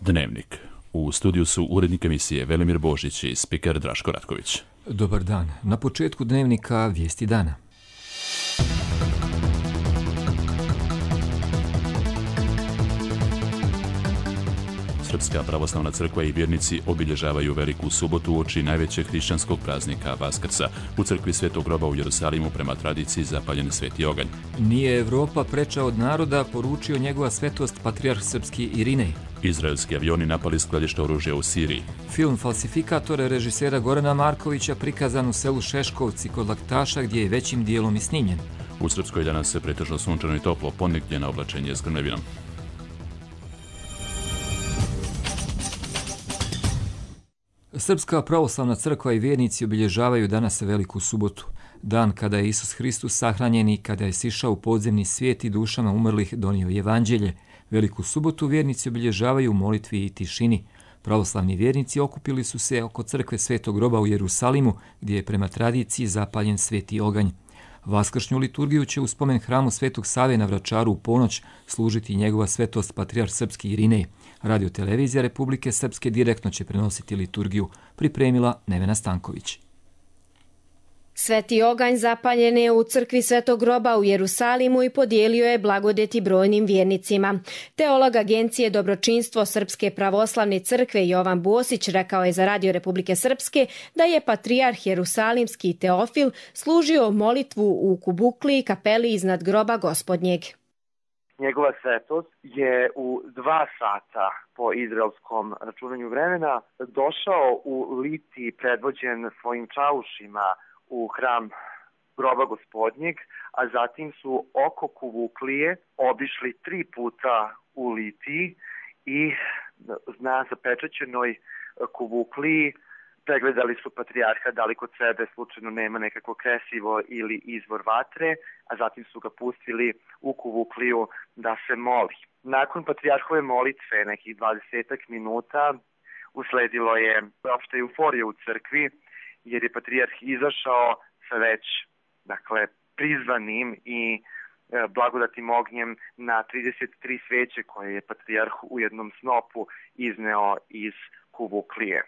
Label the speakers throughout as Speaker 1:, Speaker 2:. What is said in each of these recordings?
Speaker 1: Dnevnik. U studiju su urednik emisije Velimir Božić i spiker Draško Ratković.
Speaker 2: Dobar dan. Na početku Dnevnika vijesti dana.
Speaker 1: Srpska pravoslavna crkva i vjernici obilježavaju Veliku subotu uoči najvećeg hrišćanskog praznika Vaskrsa. U crkvi Svetog groba u Jerusalimu prema tradiciji zapaljen sveti oganj.
Speaker 2: Nije Evropa preča od naroda, poručio njegova svetost patrijarh srpski Irinej.
Speaker 1: Izraelski avioni napali skladište oružja u Siriji.
Speaker 2: Film Falsifikatore režisera Gorana Markovića prikazan u selu Šeškovci kod Laktaša gdje je većim dijelom i snimljen.
Speaker 1: U Srpskoj danas se pretežno sunčano i toplo, ponegdje na oblačenje s grmljavinom.
Speaker 2: Srpska pravoslavna crkva i vjernici obilježavaju danas Veliku subotu, dan kada je Isus Hristos sahranjen i kada je sišao u podzemni svijet i dušama umrlih donio evanđelje. Veliku subotu vjernici obilježavaju u molitvi i tišini. Pravoslavni vjernici okupili su se oko crkve Svetog groba u Jerusalimu, gdje je prema tradiciji zapaljen sveti oganj. Vaskršnju liturgiju će u spomen hramu Svetog Save na Vračaru u ponoć služiti njegova svetost patrijarh srpski Irinej. Radio-televizija Republike Srpske direktno će prenositi liturgiju, pripremila Nevena Stanković.
Speaker 3: Sveti oganj zapaljen je u crkvi Svetog groba u Jerusalimu i podijelio je blagodeti brojnim vjernicima. Teolog Agencije Dobročinstvo Srpske pravoslavne crkve Jovan Bosić rekao je za Radio Republike Srpske da je patrijarh Jerusalimski Teofil služio molitvu u Kubukli, kapeli iznad groba Gospodnjeg.
Speaker 4: Njegova svetost je u 2 sata po izraelskom računanju vremena došao u Liti predvođen svojim čaušima u hram groba Gospodnjeg, a zatim su oko Kubuklije obišli 3 puta u Litiji i na zapečaćenoj Kubukliji pregledali su patrijarha da li kod sebe slučajno nema nekako kresivo ili izvor vatre, a zatim su ga pustili u Kubukliju da se moli. Nakon patrijarhove molitve, nekih 20 minuta, usledilo je opšta euforija u crkvi, jer je patrijarh izašao sa već prizvanim i blagodatnim ognjem na 33 sveće koje je patrijarh u jednom snopu izneo iz Kubuklije.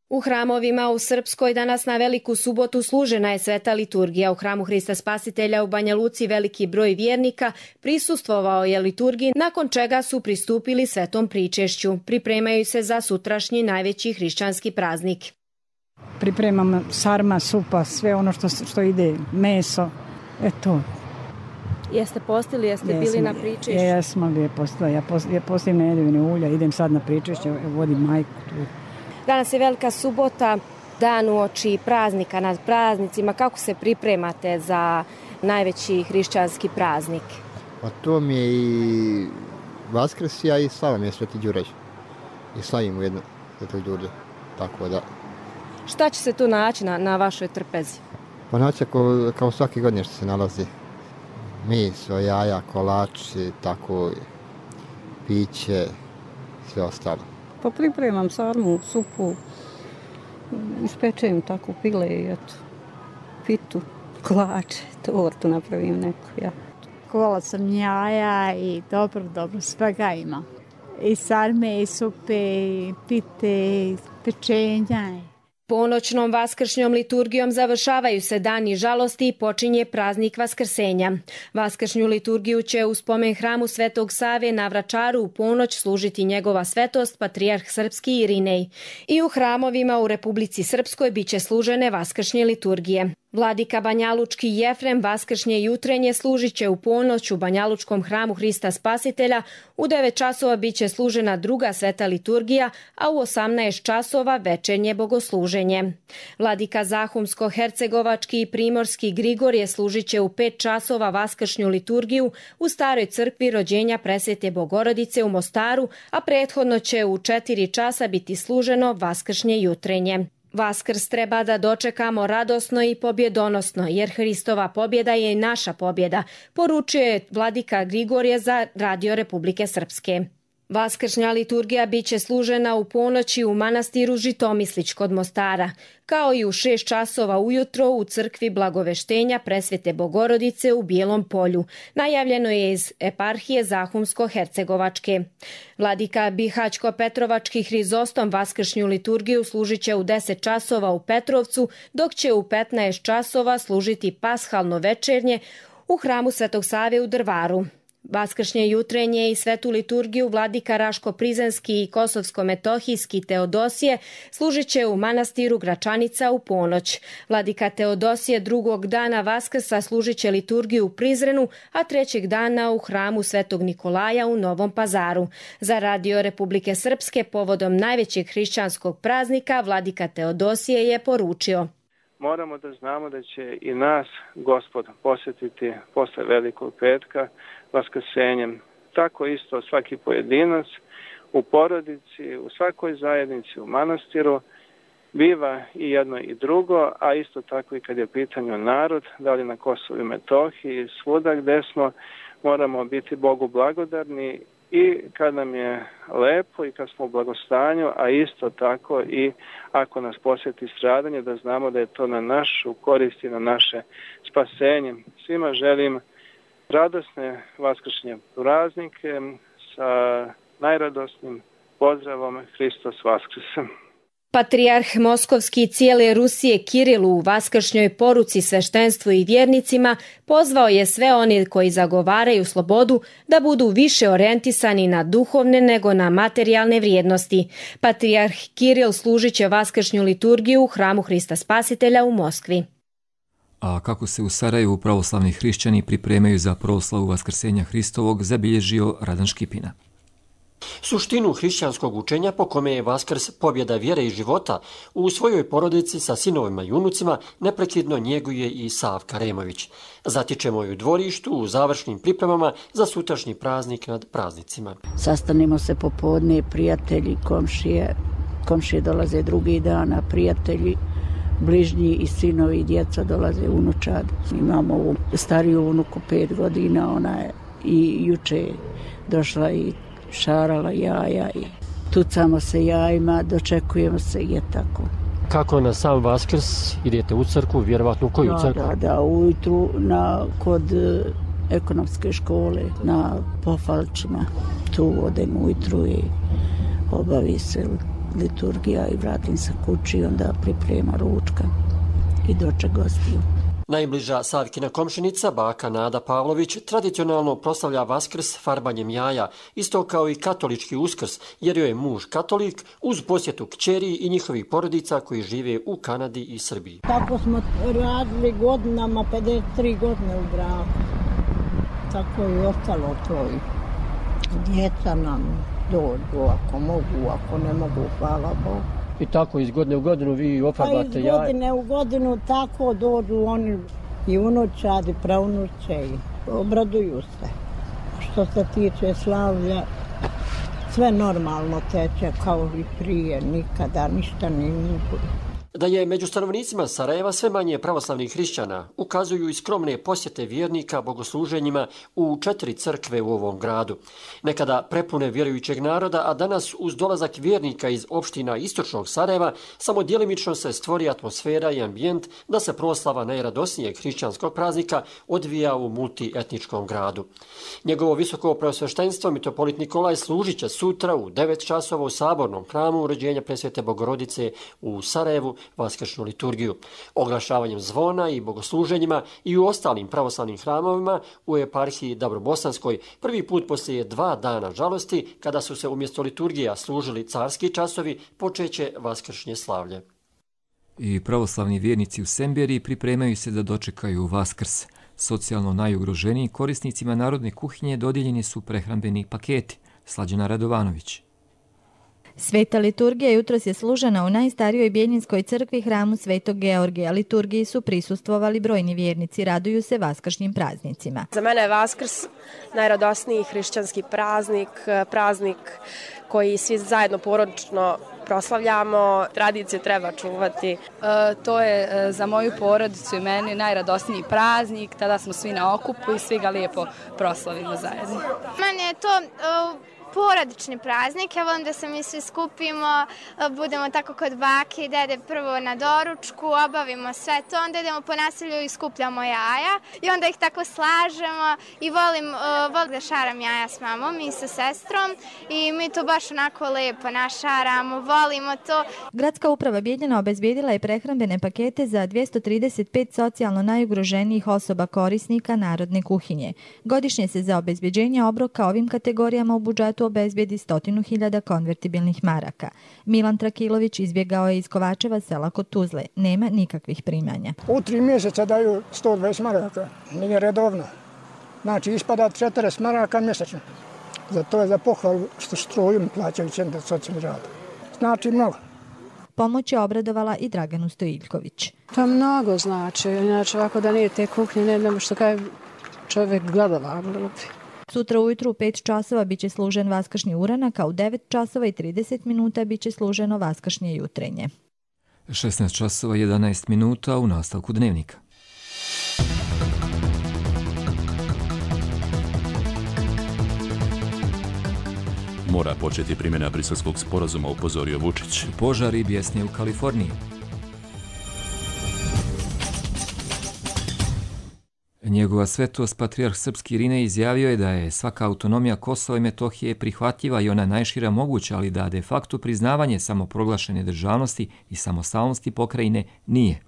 Speaker 3: U hramovima u Srpskoj danas na Veliku subotu služena je sveta liturgija. U hramu Hrista Spasitelja u Banja Luci veliki broj vjernika prisustvovao je liturgiji, nakon čega su pristupili svetom pričešću. Pripremaju se za sutrašnji najveći hrišćanski praznik.
Speaker 5: Pripremam sarma, supa, sve ono što ide, meso, eto.
Speaker 3: Jeste postili, jeste bili na pričešću?
Speaker 5: Jesmo li postila, ja postim nedjeljne ulja, idem sad na pričešće, vodim majku tu.
Speaker 3: Danas je Velika subota, dan uoči praznika, nad praznicima. Kako se pripremate za najveći hrišćanski praznik?
Speaker 6: Pa to mi je i Vaskrs, a i slava mi je Sveti Đurđe. I slavim u jednu Svetu Đurđe, tako da.
Speaker 3: Šta će se tu naći na vašoj trpezi?
Speaker 6: Pa naći kao svake godine što se nalazi. Meso, jaja, kolači, tako, piće, sve ostalo.
Speaker 5: Pa pripremam sarmu, supu, ispečem tako pile i eto, pitu, kolače, tortu napravim neku, ja.
Speaker 7: Kola sam jaja i dobro, svega ima. I sarme, i supe, i pite, i pečenja.
Speaker 3: Ponoćnom vaskršnjom liturgijom završavaju se dani žalosti i počinje praznik Vaskrsenja. Vaskršnju liturgiju će u spomen hramu Svetog Save na Vračaru u ponoć služiti njegova svetost patrijarh srpski Irinej. I u hramovima u Republici Srpskoj biće služene vaskršnje liturgije. Vladika Banjalučki Jefrem vaskršnje jutrenje služit će u ponoć u Banjalučkom hramu Hrista Spasitelja. U 9 časova biće služena druga sveta liturgija, a u 18 časova večernje bogosluženje. Vladika Zahumsko-Hercegovački i Primorski Grigorije služit će u 5 časova vaskršnju liturgiju u Staroj crkvi rođenja Presvete Bogorodice u Mostaru, a prethodno će u 4 časa biti služeno vaskršnje jutrenje. Vaskrs treba da dočekamo radosno i pobjedonosno, jer Hristova pobjeda je i naša pobjeda, poručuje vladika Grigorije za Radio Republike Srpske. Vaskršnja liturgija biće služena u ponoći u manastiru Žitomislić kod Mostara, kao i u 6 časova ujutro u crkvi Blagoveštenja Presvete Bogorodice u Bijelom Polju. Najavljeno je iz eparhije Zahumsko-Hercegovačke. Vladika Bihaćko-Petrovački Hrizostom vaskršnju liturgiju služit će u 10 časova u Petrovcu, dok će u 15 časova služiti pashalno večernje u hramu Svetog Save u Drvaru. Vaskršnje jutrenje i svetu liturgiju vladika Raško-Prizrenski i Kosovsko-Metohijski Teodosije služit će u manastiru Gračanica u ponoć. Vladika Teodosije drugog dana Vaskrsa služit će liturgiju u Prizrenu, a trećeg dana u hramu Svetog Nikolaja u Novom Pazaru. Za Radio Republike Srpske povodom najvećeg hrišćanskog praznika vladika Teodosije je poručio:
Speaker 8: moramo da znamo da će i nas Gospod posjetiti posle Velikog petka vaskrsenjem. Tako isto svaki pojedinac u porodici, u svakoj zajednici, u manastiru biva i jedno i drugo, a isto tako i kad je pitanju narod, da li na Kosovu i Metohiji, svuda gde smo, moramo biti Bogu blagodarni i kad nam je lepo i kad smo u blagostanju, a isto tako i ako nas posjeti stradanje, da znamo da je to na našu korist i na naše spasenje. Svima želim radosne vaskršnje praznike sa najradosnim pozdravom Hristos Vaskrs.
Speaker 3: Patrijarh Moskovski cijele Rusije Kiril u vaskršnjoj poruci sveštenstvu i vjernicima pozvao je sve one koji zagovaraju slobodu da budu više orijentisani na duhovne nego na materijalne vrijednosti. Patrijarh Kiril služit će vaskršnju liturgiju u hramu Hrista Spasitelja u Moskvi.
Speaker 2: A kako se u Sarajevu pravoslavni hrišćani pripremaju za proslavu Vaskrsenja Hristovog, zabilježio Radan Škipina.
Speaker 9: Suštinu hrišćanskog učenja po kome je Vaskrs pobjeda vjere i života u svojoj porodici sa sinovima i unucima neprekidno njeguje i Savka Remović. Zatičemo ju u dvorištu u završnim pripremama za sutrašnji praznik nad praznicima.
Speaker 10: Sastanemo se popodne, prijatelji, komšije dolaze drugi dana, prijatelji, bližnji i sinovi i djeca dolaze unučad. Imamo ovu stariju unuku 5 godina, ona je i juče došla i šarala jaja i tucamo se jajima, dočekujemo se i je tako.
Speaker 9: Kako na sam Vaskrs idete u crkvu, vjerovatno u koju crkvu?
Speaker 10: Da, ujutru kod ekonomske škole na Pofalčima. Tu odem ujutru i obavi se liturgija i vratim se kući, onda priprema ručka i doček gostiju.
Speaker 9: Najbliža Savkina komšinica, baka Nada Pavlović, tradicionalno proslavlja Vaskrs farbanjem jaja, isto kao i katolički Uskrs, jer joj je muž katolik, uz posjetu kćeri i njihovih porodica koji žive u Kanadi i Srbiji.
Speaker 11: Tako smo radili godinama, 53 godine u braku. Tako je ostalo to. Djeca nam dođu, ako mogu, ako ne mogu, hvala Bogu.
Speaker 9: I tako iz godine u godinu vi ofarbate jaja?
Speaker 11: Pa iz godine u godinu tako dođu oni i unučadi, praunuče i obraduju se. Što se tiče slavlja, sve normalno teče kao i prije, nikada ništa ne mogu.
Speaker 9: Da je među stanovnicima Sarajeva sve manje pravoslavnih hrišćana ukazuju i skromne posjete vjernika bogosluženjima u 4 crkve u ovom gradu. Nekada prepune vjerujućeg naroda, a danas uz dolazak vjernika iz opština istočnog Sarajeva samo djelimično se stvori atmosfera i ambijent da se proslava najradosnijeg hrišćanskog praznika odvija u multietničkom gradu. Njegovo visoko preosveštenstvo mitropolit Nikolaj služit će sutra u 9 časova u sabornom hramu Uređenja Presvete Bogorodice u Sarajevu vaskršnju liturgiju. Oglašavanjem zvona i bogosluženjima i u ostalim pravoslavnim hramovima u eparhiji Dabrobosanskoj prvi put poslije 2 dana žalosti, kada su se umjesto liturgija služili carski časovi, počeće vaskršnje slavlje.
Speaker 2: I pravoslavni vjernici u Semberiji pripremaju se da dočekaju Vaskrs. Socijalno najugroženijim korisnicima narodne kuhinje dodijeljeni su prehrambeni paketi. Slađana Radovanović.
Speaker 12: Sveta liturgija jutros je služena u najstarijoj Bijeljinskoj crkvi hramu Svetog Georgija. Liturgiji su prisustvovali brojni vjernici, raduju se vaskršnjim praznicima.
Speaker 13: Za mene je Vaskrs najradosniji hrišćanski praznik, praznik koji svi zajedno porodično proslavljamo, tradicije treba čuvati.
Speaker 14: To je za moju porodicu i meni najradosniji praznik, tada smo svi na okupu i svi ga lijepo proslavimo zajedno.
Speaker 15: Meni je to porodični praznik. Ja volim da se mi svi skupimo, budemo tako kod bake i dede prvo na doručku, obavimo sve to, onda idemo po naselju i skupljamo jaja i onda ih tako slažemo i volim da šaram jaja s mamom i sa sestrom i mi to baš onako lepo našaramo, volimo to.
Speaker 12: Gradska uprava Bijeljina obezbijedila je prehrambene pakete za 235 socijalno najugroženijih osoba korisnika narodne kuhinje. Godišnje se za obezbeđenje obroka ovim kategorijama u budžetu obezbijedi 100.000 konvertibilnih maraka. Milan Trakilović izbjegao je iz Kovačeva sela kod Tuzle. Nema nikakvih primanja.
Speaker 16: U 3 mjeseca daju 120 maraka. Nije redovno. Znači ispada 40 maraka mjesečno. Za to je za pohvalu što struju mi plaćaju centar socijalni rad. Znači mnogo.
Speaker 12: Pomoć je obradovala i Draganu Stojiljković.
Speaker 17: To mnogo znači. Inače ovako da nije te kuhnje, ne znam što kaj čovjek gledava.
Speaker 12: Sutra ujutru u 5 časova biće služen vaskršnji uranak, a u 9 časova i 30 minuta biće služeno vaskršnje jutrenje.
Speaker 2: 16 časova 11 minuta u nastavku dnevnika.
Speaker 1: Mora početi primjena Briselskog sporazuma, upozorio Vučić.
Speaker 2: Požari bjesne u Kaliforniji. Njegova svetost patrijarh srpski Irinej izjavio je da je svaka autonomija Kosova i Metohije prihvatljiva i ona najšira moguća, ali da de facto priznavanje samoproglašene državnosti i samostalnosti pokrajine nije.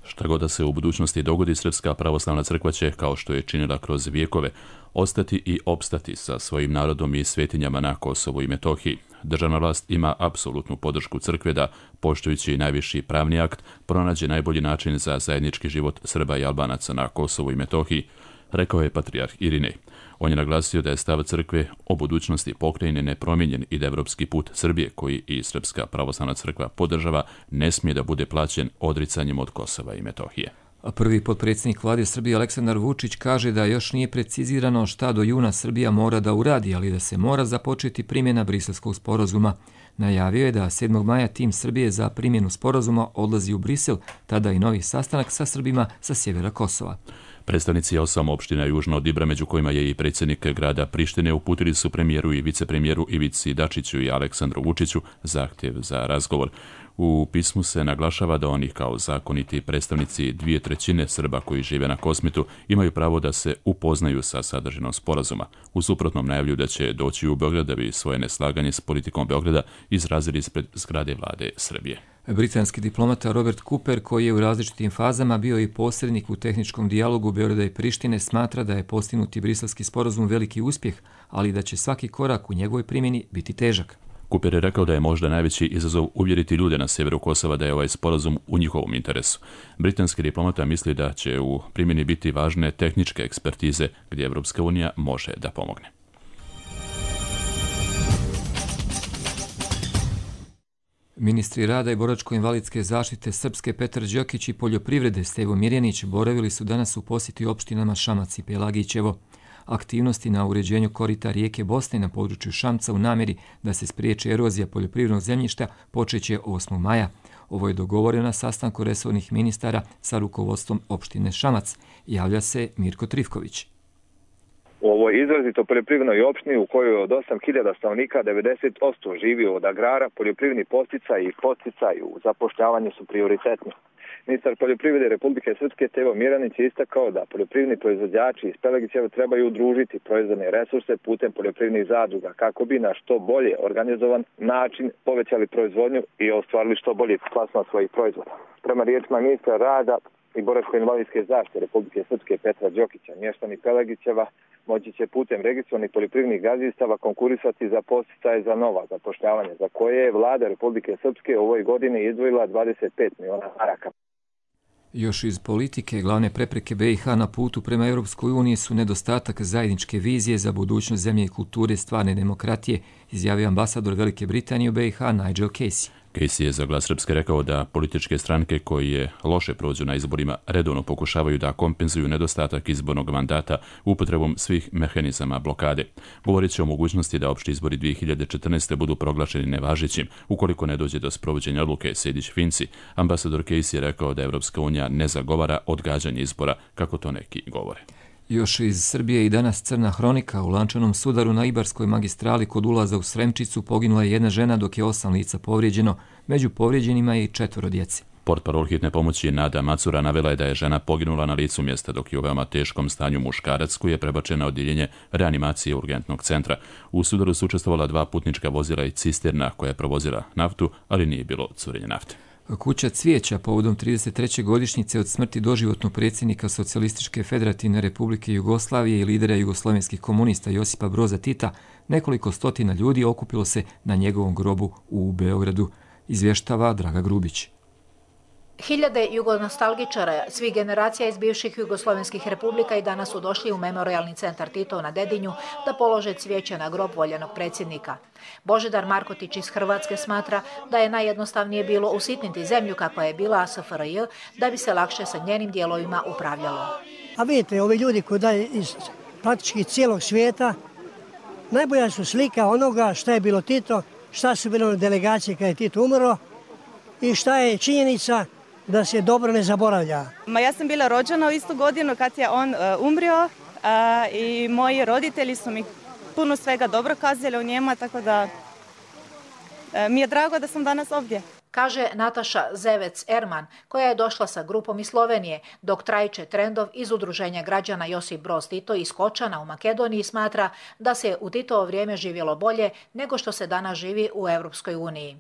Speaker 1: Šta god da se u budućnosti dogodi, Srpska pravoslavna crkva će, kao što je činila kroz vijekove, ostati i opstati sa svojim narodom i svetinjama na Kosovu i Metohiji. Državna vlast ima apsolutnu podršku crkve da, poštujući najviši pravni akt, pronađe najbolji način za zajednički život Srba i Albanaca na Kosovu i Metohiji, rekao je patrijarh Irinej. On je naglasio da je stav crkve o budućnosti pokrajine nepromijenjen i da evropski put Srbije, koji i Srpska pravoslavna crkva podržava, ne smije da bude plaćen odricanjem od Kosova i Metohije.
Speaker 2: Prvi potpredsjednik vlade Srbije Aleksandar Vučić kaže da još nije precizirano šta do juna Srbija mora da uradi, ali da se mora započeti primjena Briselskog sporazuma. Najavio je da 7. maja tim Srbije za primjenu sporazuma odlazi u Brisel, tada i novi sastanak sa Srbima sa sjevera Kosova.
Speaker 1: Predstavnici 8 opština južno od Ibra, među kojima je i predsjednik grada Prištine, uputili su premijeru i vicepremijeru Ivici Dačiću i Aleksandru Vučiću zahtjev za razgovor. U pismu se naglašava da oni kao zakoniti predstavnici 2/3 Srba koji žive na Kosmetu imaju pravo da se upoznaju sa sadržinom sporazuma. U suprotnom najavljuju da će doći u Beograd da bi svoje neslaganje s politikom Beograda izrazili ispred zgrade vlade Srbije.
Speaker 2: Britanski diplomata Robert Cooper, koji je u različitim fazama bio i posrednik u tehničkom dijalogu Beograda i Prištine, smatra da je postignuti briselski sporazum veliki uspjeh, ali da će svaki korak u njegovoj primjeni biti težak.
Speaker 1: Cooper je rekao da je možda najveći izazov uvjeriti ljude na sjeveru Kosova da je ovaj sporazum u njihovom interesu. Britanski diplomata misli da će u primjeni biti važne tehničke ekspertize gdje Evropska unija može da pomogne.
Speaker 2: Ministri rada i boračko-invalidske zaštite Srpske Petar Đokić i poljoprivrede Stevo Mirjanić boravili su danas u posjeti opštinama Šamac i Pelagićevo. Aktivnosti na uređenju korita rijeke Bosne na području Šamca u namjeri da se spriječi erozija poljoprivrednog zemljišta počeće 8. maja. Ovo je dogovoreno na sastanku resornih ministara sa rukovodstvom opštine Šamac. Javlja se Mirko Trifković.
Speaker 18: U ovoj izrazito poljoprivrednoj opštini u kojoj od 8.000 stanovnika 90% živi od agrara, poljoprivredni podsticaj i podsticaj u zapošljavanju su prioritetni. Ministar poljoprivrede Republike Srpske Stevo Mirjanić je istakao da poljoprivredni proizvođači iz Pelagićeva trebaju udružiti proizvodne resurse putem poljoprivrednih zadruga kako bi na što bolje organizovan način povećali proizvodnju i ostvarili što bolji plasman svojih proizvoda. Prema riječima ministra rada i boračko-invalidske zaštite Republike Srpske Petra Đokića, mještani Pelagićeva moći će putem registrovanih poljoprivrednih gazdinstava konkurisati za podsticaje za nova zapošljavanja, za koje je vlada Republike Srpske u ovoj godini izdvojila 25 miliona maraka.
Speaker 2: Još iz politike, glavne prepreke BiH na putu prema Europskoj uniji su nedostatak zajedničke vizije za budućnost zemlje i kulture stvarne demokratije, izjavio ambasador Velike Britanije u BiH Nigel Casey.
Speaker 1: Casey je za Glas Srpske rekao da političke stranke koje loše prođu na izborima redovno pokušavaju da kompenzuju nedostatak izbornog mandata upotrebom svih mehanizama blokade. Govorit će o mogućnosti da opšti izbori 2014. budu proglašeni nevažećim ukoliko ne dođe do sprovođenja odluke Sejdić-Finci. Ambasador Casey je rekao da Evropska unija ne zagovara odgađanje izbora, kako to neki govore.
Speaker 2: Još iz Srbije i danas crna hronika. U lančanom sudaru na Ibarskoj magistrali kod ulaza u Sremčicu poginula je jedna žena dok je 8 lica povrijeđeno. Među povrijeđenima je i 4 djece.
Speaker 1: Portparol hitne pomoći Nada Macura navela je da je žena poginula na licu mjesta dok je u veoma teškom stanju muškarac koji je prebačen na odjeljenje reanimacije urgentnog centra. U sudaru su učestvovala 2 putnička vozila i cisterna koja je provozila naftu, ali nije bilo curenja nafte.
Speaker 2: Kuća cvijeća povodom 33. godišnjice od smrti doživotnog predsjednika Socijalističke federativne republike Jugoslavije i lidera jugoslavenskih komunista Josipa Broza Tita, nekoliko stotina ljudi okupilo se na njegovom grobu u Beogradu, izvještava Draga Grubić.
Speaker 19: Hiljade jugonostalgičara svih generacija iz bivših jugoslovenskih republika i danas su došli u memorialni centar Titov na Dedinju da polože cvijeće na grob voljenog predsjednika. Božidar Markotić iz Hrvatske smatra da je najjednostavnije bilo usitniti zemlju kakva je bila SFRJ da bi se lakše sa njenim dijelovima upravljalo.
Speaker 20: A vidite, ovi ljudi koji daju iz praktički cijelog svijeta, najbolja su slika onoga šta je bilo Tito, šta su bile delegacije kada je Tito umro i šta je činjenica da se dobro ne zaboravlja.
Speaker 21: Ja sam bila rođena u istu godinu kad je on umrio i moji roditelji su mi puno svega dobro kazali o njemu, tako da mi je drago da sam danas ovdje.
Speaker 19: Kaže Nataša Zevec-Erman, koja je došla sa grupom iz Slovenije, dok Trajče Trendov iz Udruženja građana Josip Broz Tito iz Kočana u Makedoniji smatra da se u Titovo vrijeme živjelo bolje nego što se danas živi u Europskoj uniji.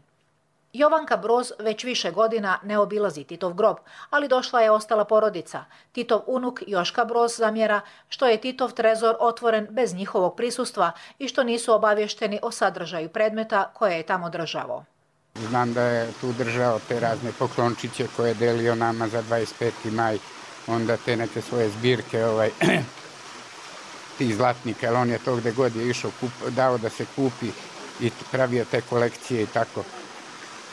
Speaker 19: Jovanka Broz već više godina ne obilazi Titov grob, ali došla je ostala porodica. Titov unuk Joška Broz zamjera što je Titov trezor otvoren bez njihovog prisustva i što nisu obavješteni o sadržaju predmeta koje je tamo državo.
Speaker 22: Znam da je tu držao te razne poklončiće koje je delio nama za 25. maj, onda te neke svoje zbirke tih zlatnika, jer on je to gde god je išao dao da se kupi i pravio te kolekcije i tako.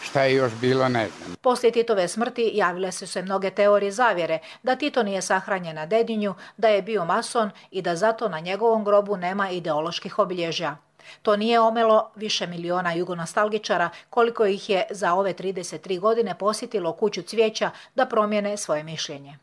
Speaker 22: Šta je još bilo, ne znam.
Speaker 19: Poslije Titove smrti javile su se mnoge teorije zavjere da Tito nije sahranjen na Dedinju, da je bio mason i da zato na njegovom grobu nema ideoloških obilježja. To nije omelo više miliona jugonostalgičara koliko ih je za ove 33 godine posjetilo kuću cvijeća da promijene svoje mišljenje.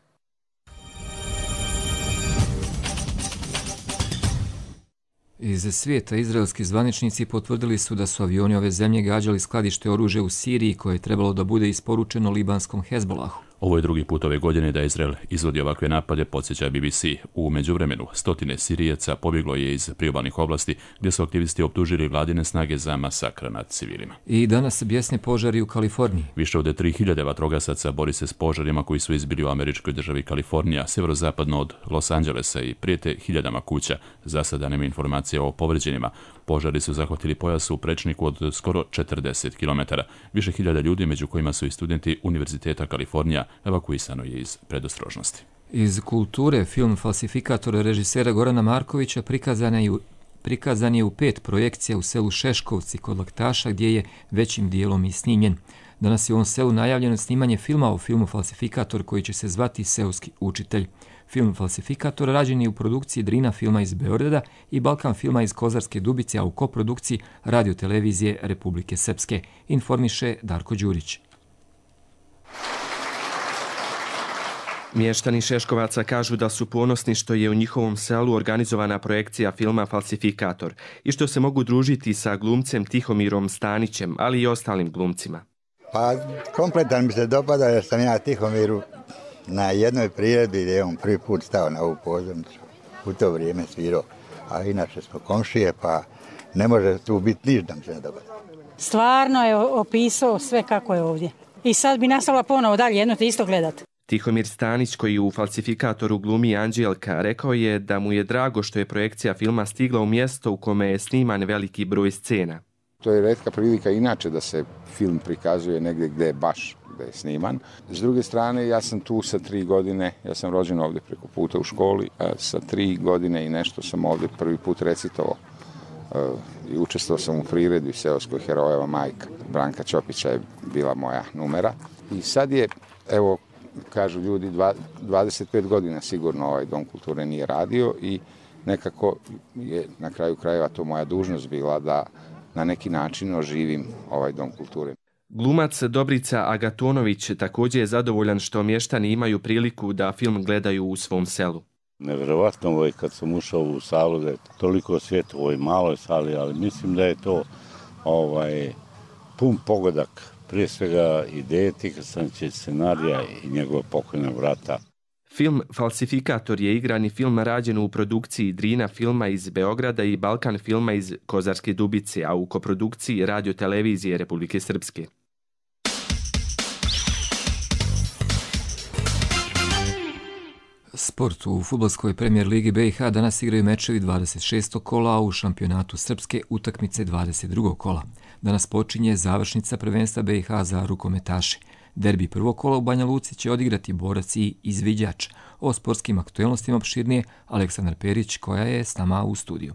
Speaker 2: Iz svijeta izraelski zvaničnici potvrdili su da su avioni ove zemlje gađali skladište oružja u Siriji koje je trebalo da bude isporučeno libanskom Hezbolahu.
Speaker 1: Ovo je drugi put ove godine da Izrael izvodi ovakve napade, podsjeća BBC. U međuvremenu, stotine Sirijaca pobjeglo je iz priobalnih oblasti gdje su aktivisti optužili vladine snage za masakr nad civilima.
Speaker 2: I danas bjesne požari u Kaliforniji.
Speaker 1: Više od 3000 vatrogasaca bori se s požarima koji su izbili u američkoj državi Kalifornija, sjeverozapadno od Los Angelesa i prijete hiljadama kuća. Za sada nema informacija o povređenima. Požari su zahvatili pojas u prečniku od skoro 40 km. Više hiljada ljudi, među kojima su i studenti Univerziteta Kalifornija, evakuisano je iz predostrožnosti.
Speaker 2: Iz kulture film Falsifikator režisera Gorana Markovića prikazan je u 5 projekcija u selu Šeškovci kod Laktaša gdje je većim dijelom i snimljen. Danas je u ovom selu najavljeno snimanje filma o filmu Falsifikator koji će se zvati Seoski učitelj. Film Falsifikator rađen je u produkciji Drina filma iz Beograda i Balkan filma iz Kozarske Dubice, a u koprodukciji radiotelevizije Republike Srpske, informiše Darko Đurić.
Speaker 23: Mještani Šeškovaca kažu da su ponosni što je u njihovom selu organizovana projekcija filma Falsifikator i što se mogu družiti sa glumcem Tihomirom Stanićem, ali i ostalim glumcima.
Speaker 24: Pa kompletan mi se dopada jer sam ja Tihomiru na jednoj priredbi gdje je on prvi put stao na ovu pozornicu. U to vrijeme svirao, a inače smo komšije pa ne može tu biti ništa mi se ne dopada.
Speaker 5: Stvarno je opisao sve kako je ovdje. I sad bi nastavila ponovo dalje jedno te isto gledati.
Speaker 23: Tihomir Stanić, koji u Falsifikatoru glumi Anđelka, rekao je da mu je drago što je projekcija filma stigla u mjesto u kome je sniman veliki broj scena.
Speaker 22: To je retka prilika inače da se film prikazuje negdje gdje je baš gdje je sniman. S druge strane, ja sam tu sa 3 godine, ja sam rođen ovdje preko puta u školi, a sa 3 godine i nešto sam ovdje prvi put recitovao. I učestvovao sam u priredbi seoskoj Herojeva majka. Branka Ćopića je bila moja numera. I sad je, evo, kažu ljudi, 25 godina sigurno ovaj Dom kulture nije radio i nekako je na kraju krajeva to moja dužnost bila da na neki način oživim ovaj Dom kulture.
Speaker 23: Glumac Dobrica Agatonović također je zadovoljan što mještani imaju priliku da film gledaju u svom selu.
Speaker 4: Nevjerovatno ovo je kad sam ušao u salu da je toliko svijeta u ovoj maloj sali, ali mislim da je to pun pogodak, prije svega ideje Tika Stanića, scenarija i njegova pokojna brata.
Speaker 23: Film Falsifikator je igrani film rađen u produkciji Drina filma iz Beograda i Balkan filma iz Kozarske Dubice, a u koprodukciji Radio-televizije Republike Srpske.
Speaker 2: Sport. U fudbalskoj premijer ligi BiH danas igraju mečevi 26. kola, a u šampionatu Srpske utakmice 22. kola. Danas počinje završnica prvenstva BiH za rukometaše. Derbi prvog kola u Banja Luci će odigrati Borac i Izviđač. O sportskim aktuelnostima opširnije Aleksandar Perić, koja je s nama u studiju.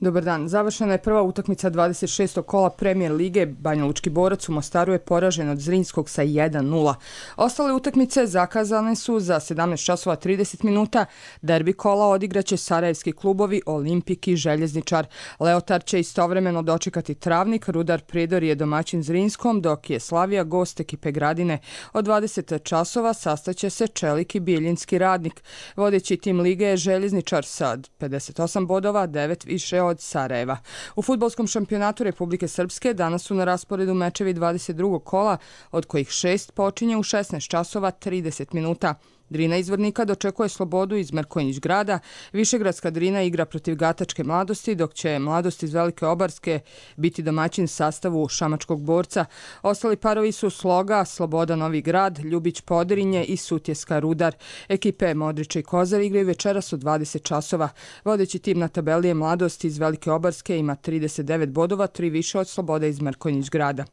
Speaker 6: Dobar dan. Završena je prva utakmica 26. kola premijer lige. Banjalučki Borac u Mostaru je poražen od Zrinskog sa 1:0. Ostale utakmice zakazane su za 17 časova 30 minuta. Derbi kola odigraće sarajevski klubovi Olimpik i Željezničar. Leotar će istovremeno dočekati Travnik, Rudar Prijedor je domaćin Zrinskom, dok je Slavija gost ekipe Gradine. Od 20 časova sastaće se Čelik i Bijeljinski Radnik. Vodeći tim lige je Željezničar sa 58 bodova, 9 više od Sarajeva. U fudbalskom šampionatu Republike Srpske danas su na rasporedu mečevi 22. kola, od kojih 6 počinje u 16 časova 30 minuta. Drina iz Vrnika dočekuje Slobodu iz Mrkonjić grada, Višegradska Drina igra protiv Gatačke Mladosti, dok će Mladost iz Velike Obarske biti domaćin sastavu Šamačkog Borca. Ostali parovi su Sloga, Sloboda Novi Grad, Ljubić Podrinje i Sutjeska Rudar. Ekipe Modrića i Kozar igraju večeras u 20 časova. Vodeći tim na tabeli je Mladost iz Velike Obarske, ima 39 bodova, 3 više od Sloboda iz Mrkonjić grada.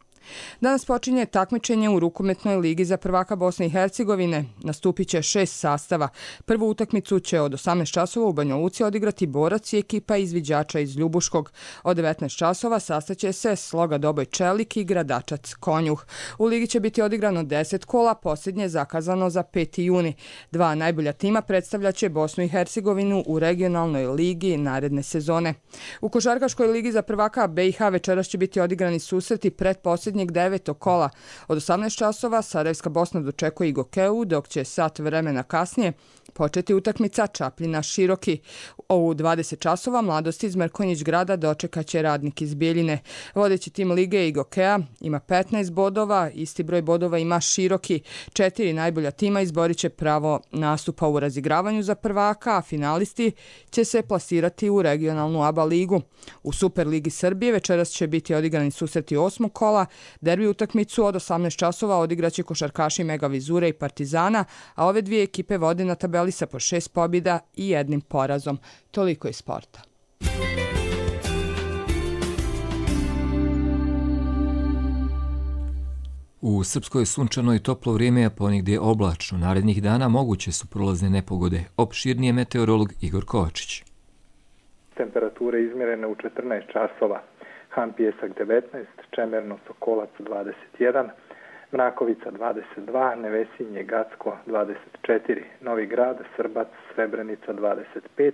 Speaker 6: Danas počinje takmičenje u rukometnoj ligi za prvaka Bosne i Hercegovine. Nastupit će 6 sastava. Prvu utakmicu će od 18 časova u Banja Luci odigrati Borac i ekipa Izviđača iz Ljubuškog. Od 19 časova sastaće se Sloga Doboj Čelik i Gradačac Konjuh. U ligi će biti odigrano 10 kola, posljednje zakazano za 5. juni. Dva najbolja tima predstavljaće Bosnu i Hercegovinu u regionalnoj ligi naredne sezone. U košarkaškoj ligi za prvaka BiH večeras će biti odigrani susreti pretposljednjeg 9. kola. Od 18 časova Sarajevska Bosna dočekuje i Gokeu, dok će sat vremena kasnije početi utakmica Čapljina Široki. U 20 časova Mladost iz Mrkonjić grada dočekaće Radnik iz Bijeljine. Vodeći tim lige Igokea ima 15 bodova, isti broj bodova ima Široki. 4 najbolja tima izborit će pravo nastupa u razigravanju za prvaka, a finalisti će se plasirati u regionalnu ABA ligu. U Superligi Srbije večeras će biti odigrani susreti 8. kola. Derbi utakmicu od 18 časova odigraće košarkaši Mega Vizure i Partizana, a ove dvije ekipe vode na tabeli sa po 6 pobjeda i 1 porazom. Toliko iz sporta.
Speaker 2: U Srpskoj sunčano i toplo vrijeme, a ponegdje oblačno. Narednih dana moguće su prolazne nepogode. Opširnije meteorolog Igor Kovačić.
Speaker 7: Temperature izmjerene u 14 časova. Han Pijesak 19, Čemerno Sokolac 21, Mrakovica 22, Nevesinje Gacko 24, Novi Grad, Srbac, Srebrenica 25,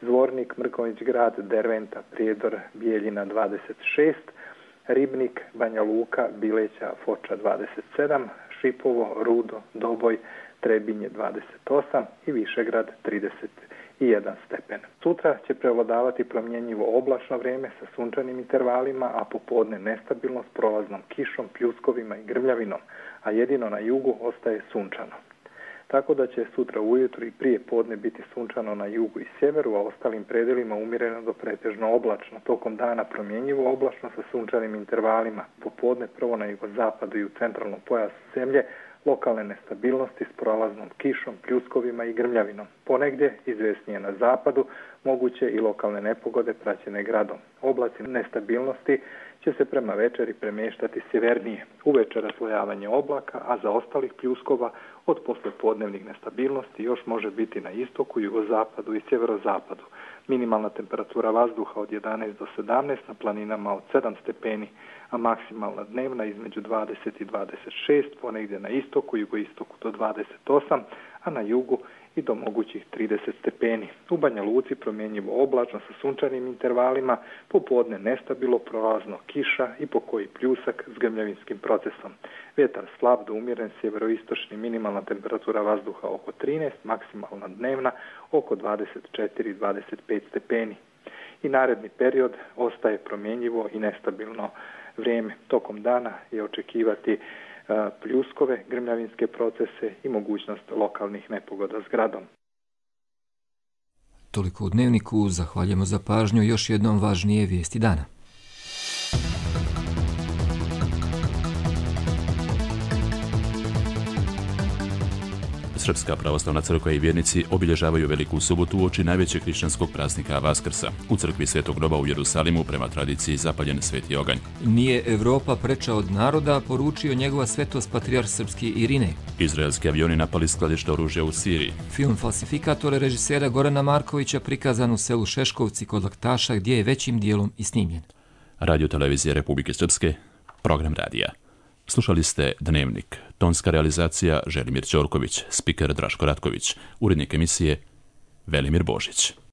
Speaker 7: Zvornik, Mrkonjić grad, Derventa, Prijedor, Bijeljina 26, Ribnik, Banja Luka, Bileća, Foča 27, Šipovo, Rudo, Doboj, Trebinje 28 i Višegrad 31 stepen. Sutra će prevladavati promjenjivo oblačno vrijeme sa sunčanim intervalima, a popodne nestabilno s prolaznom kišom, pljuskovima i grmljavinom, a jedino na jugu ostaje sunčano. Tako da će sutra ujutro i prije podne biti sunčano na jugu i sjeveru, a ostalim predelima umjereno do pretežno oblačno. Tokom dana promjenjivo oblačno sa sunčanim intervalima. Popodne prvo na jugozapadu i u centralnom pojasu zemlje lokalne nestabilnosti s prolaznom kišom, pljuskovima i grmljavinom. Ponegdje, izvjesnije na zapadu, moguće i lokalne nepogode praćene gradom. Oblaci nestabilnosti će se prema večeri premještati sjevernije. Uveče raslojavanje oblaka, a za ostalih pljuskova od poslepodnevnih nestabilnosti još može biti na istoku, jugozapadu i sjeverozapadu. Minimalna temperatura vazduha od 11 do 17, na planinama od 7 stepeni, a maksimalna dnevna između 20 i 26, ponegdje na istoku, jugoistoku do 28, a na jugu i do mogućih 30 stepeni. U Banja Luci promjenjivo oblačno sa sunčanim intervalima, popodne nestabilno prolazno kiša i pokoji pljusak s grmljavinskim procesom. Vjetar slab do umjeren sjeveroistočni, minimalna temperatura vazduha oko 13, maksimalna dnevna oko 24-25 stepeni. I naredni period ostaje promjenjivo i nestabilno vrijeme. Tokom dana je očekivati pljuskove, grmljavinske procese i mogućnost lokalnih nepogoda s gradom.
Speaker 2: Toliko u Dnevniku, zahvaljujemo za pažnju, još jednom važnije vijesti dana.
Speaker 1: Srpska pravoslavna crkva i vjernici obilježavaju Veliku subotu uoči najvećeg hrišćanskog praznika Vaskrsa. U crkvi Svetog groba u Jerusalimu prema tradiciji zapaljen sveti oganj.
Speaker 2: Nije Evropa preča od naroda, poručio njegova svetost patrijarh srpski Irinej.
Speaker 1: Izraelski avioni napali skladište oružja u Siriji.
Speaker 2: Film Falsifikator režisera Gorana Markovića prikazan u selu Šeškovci kod Laktaša, gdje je većim dijelom i snimljen.
Speaker 1: Radio televizije Republike Srpske, program radija. Slušali ste Dnevnik, tonska realizacija Želimir Ćorković, spiker Draško Ratković, urednik emisije Velimir Božić.